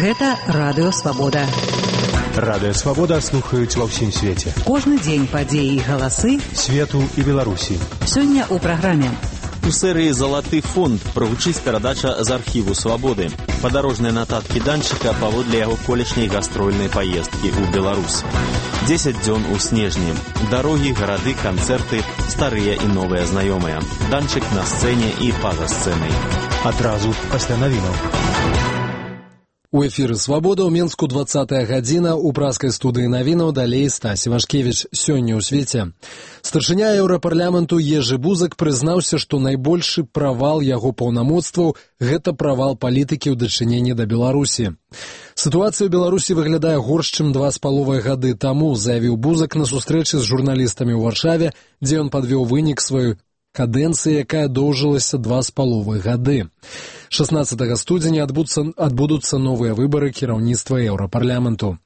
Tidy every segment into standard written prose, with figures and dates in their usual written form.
Гэта Радыё Свабода. Радыё Свабода слухаюць ва ўсім свеце. Кожны дзень падзеі і галасы свету і Беларусі. Сёння ў праграме. У серыі «Залаты фонд» прагучыць перадача з архіву «Свабоды». Падарожныя нататкі данчыка паводле яго колішняй гастрольнай паездкі ў Беларусь. 10 дзён у снежні. Дарогі, гарады, канцэрты, старыя і новыя знаёмыя. Данчык на сцэне і па-за сцэнай. Адразу пасля навінаў. У эфіры «Свабода» ў Менску 20-я гадзіна, у праскай студыі навінаў далей Стась Івашкевіч. Сёння ў свеце. Старшыня Еўрапарламенту Ежы Бузак прызнаўся, што найбольшы правал яго паўнамоцтваў – гэта правал палітыкі ў дачыненні да Беларусі. Сітуацыя ў Беларусі выглядае горш, чым 2,5 гады таму, заявіў Бузак на сустрэчы з журналістамі ў Варшаве, дзе ён падвёў вынік сваёй кадэнцыі, якая доўжылася 2,5 гады. 16 студзеня адбудуцца новыя выбары кіраўніцтва Еўрапарламенту.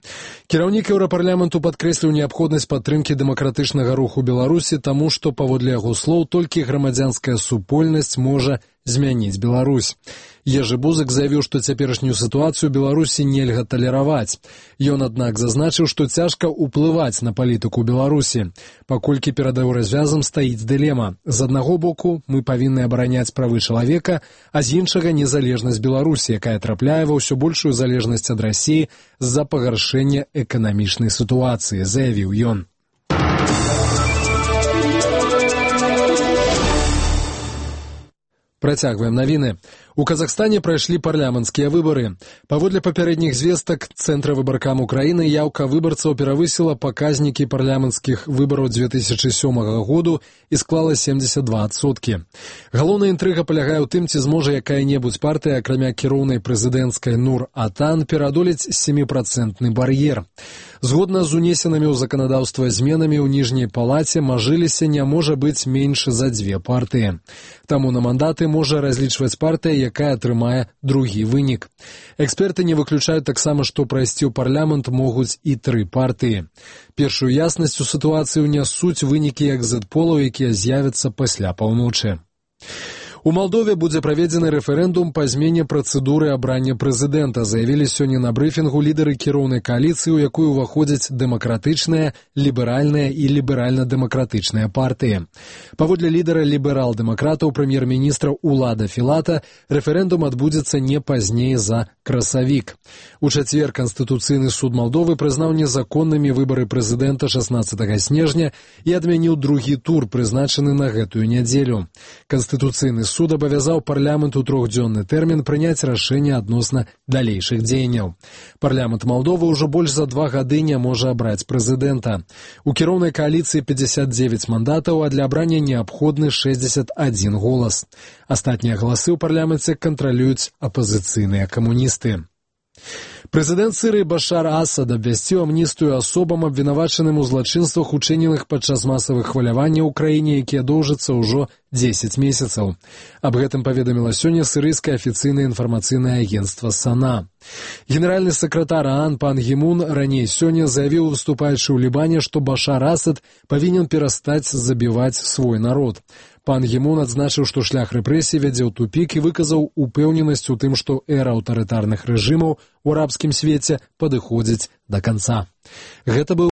Кіраўнік Еўрапарламенту падкрэсліў неабходнасць падтрымкі дэмакратычнага руху Беларусі, таму што, паводле яго слоў, толькі грамадзянская супольнасць можа змяніць Беларусь. Ежы Бузак заявіў, што цяперашнюю сітуацыю Беларусі нельга талераваць. Ён, аднак, зазначыў, што цяжка ўплываць на палітыку Беларусі, паколькі перад еўразвязам стаіць дылема. З аднаго боку, мы павінны абараняць правы чалавека, а з іншага незалежнасць Беларусі, якая трапляе ва ўсё большую залежнасць ад Расіі з-за пагаршэння эканамічнай сітуацыі, заявіў ён. Працягваем навіны. У Казахстане прайшлі парламенцкія выбары. Паводле папярэдніх звестак Цэнтра выбаркам Украіны яўка выбарцаў перавысіла паказнікі парламенцкіх выбараў 2007 году і склала 72%. Галоўная інтрыга палягае ў тым, ці зможа якая-небудзь партыя, акрамя кіроўнай прэзідэнцкай Нур-Атан, пераадолець 7% бар'ер. Згодна з унесенымі ў заканадаўства зменамі ў ніжняй палаце мажыліся не можа быць менш за 2 партыі. Таму на мандаты можа разлічваць партыя, якая атрымае другі вынік. Эксперты не выключаюць таксама, што прайсці ў парламент могуць і 3 партыі. Першую яснасць у сітуацыі ўнясуць вынікі экзіт-полаў, якія з'явяцца пасля паўночы. У Малдове будзе праведзены рэферэндум па змене працэдуры абрання прэзідэнта, заявілі сёння на брыфінгу лідары кіроўнай кааліцыі, у якую ўваходзяць дэмакратычныя, ліберальныя і ліберальна-дэмакратычныя партыі. Паводле лідара ліберал-дэмакратаў прэм'ер-міністра Улада Філата, рэферэндум адбудзецца не пазней за красавік. У чацвер Канстытуцыйны суд Малдовы прызнаў незаконнымі выбары прэзідэнта 16 снежня і адмяніў другі тур, прызначаны на гэтую нядзелю. Канстытуцыйны суд абавязаў парламент у 3-дзённы тэрмін прыняць рашэнне адносна далейшых дзеянняў. Парламент Малдовы ўжо больш за 2 гады не можа абраць прэзідэнта. У кіроўнай кааліцыі 59 мандатаў, а для абрання неабходны 61 голас. Астатнія галасы ў парламенце кантралююць апазіцыйныя камуністы. Прэзідэнт Сірыі Башар Асад абвясціў амністыю асобам, абвінавачаным у злачынствах, учыненых падчас масавых хваляванняў у краіне, якія доўжацца ўжо 10 месяцаў. Аб гэтым паведаміла сёння сірыйскае афіцыйнае інфармацыйнае агенцтва САНА. Генеральны сакратар ААН Пан Гі Мун раней сёння заявіў, выступаючы ў Лібане, што Башар Асад павінен перастаць забіваць свой народ. Пан Гі Мун адзначыў, што шлях рэпрэсій вядзе ў тупік і выказаў упэўненасць у тым, што эра аўтарытарных рэжымаў у арабскім свеце падыходзіць да канца. Гэта быў